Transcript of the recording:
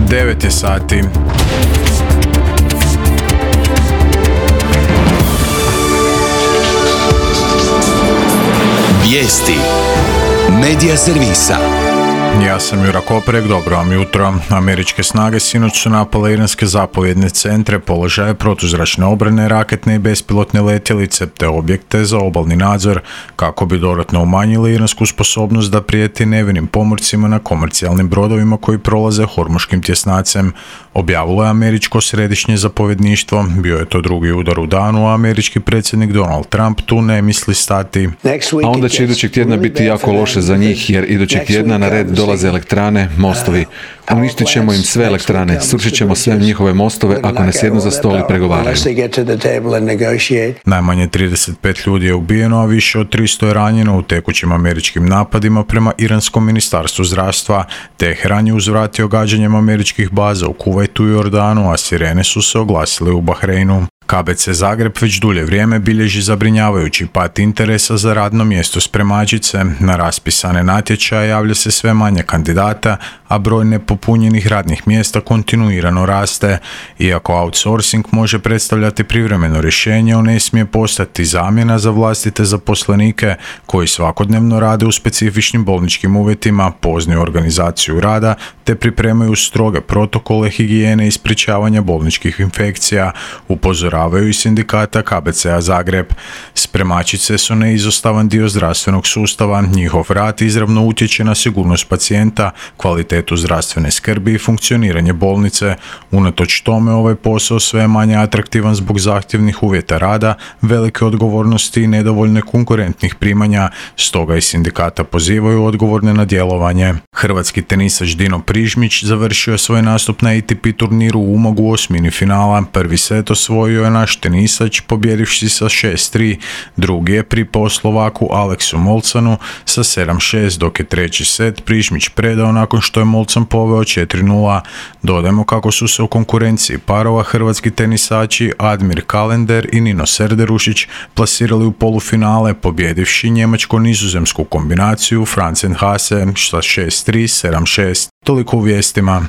9 je sati. Vijesti Medija servisa. Ja sam Jura Koprek, dobro vam jutro. Američke snage sinoć su napale iranske zapovjedne centre, položaje protuzračne obrane, raketne i bespilotne letjelice te objekte za obalni nadzor kako bi dodatno umanjili iransku sposobnost da prijeti nevinim pomorcima na komercijalnim brodovima koji prolaze Hormuškim tjesnacem. Objavilo je američko središnje zapovjedništvo. Bio je to drugi udar u danu, a američki predsjednik Donald Trump tu ne misli stati. A onda će idućeg tjedna biti jako loše za njih, jer idućeg tjedna na red dolaze elektrane, mostovi. Uništit ćemo im sve elektrane, srušit ćemo sve njihove mostove ako ne sjednu za stol i pregovaraju. Najmanje 35 ljudi je ubijeno, a više od 300 je ranjeno u tekućim američkim napadima prema iranskom ministarstvu zdravstva. Teheran je uzvratio gađanjem američkih baza u Kuvajtu i Jordanu, a sirene su se oglasile u Bahreinu. KBC Zagreb već dulje vrijeme bilježi zabrinjavajući pad interesa za radno mjesto spremačice. Na raspisane natječaje javlja se sve manje kandidata, a broj nepopunjenih radnih mjesta kontinuirano raste. Iako outsourcing može predstavljati privremeno rješenje, on ne smije postati zamjena za vlastite zaposlenike koji svakodnevno rade u specifičnim bolničkim uvjetima, poznaju organizaciju rada te pripremaju stroge protokole higijene i sprječavanja bolničkih infekcija, upozoravaju i sindikata KBC-a Zagreb. Spremačice su neizostavan dio zdravstvenog sustava, njihov rad izravno utječe na sigurnost pacijenta, kvalitetu zdravstvene skrbi i funkcioniranje bolnice. Unatoč tome ovaj posao sve je manje atraktivan zbog zahtjevnih uvjeta rada, velike odgovornosti i nedovoljne konkurentnih primanja, stoga i sindikata pozivaju odgovorne na djelovanje. Hrvatski tenisač Dino Prižmić završio je svoj nastup na ATP turniru u Umagu u osmini finala. Prvi set osvojio je naš tenisač pobjedivši sa 6-3, drugi je pripao Slovaku Aleksu Molcanu sa 7-6, dok je treći set Prižmić predao nakon što je Molcan poveo 4-0. Dodajmo kako su se u konkurenciji parova hrvatski tenisači Admir Kalender i Nino Serderušić plasirali u polufinale pobjedivši njemačko-nizozemsku kombinaciju Franzen Hase sa 6-3, 7-6. Toliko u vijestima.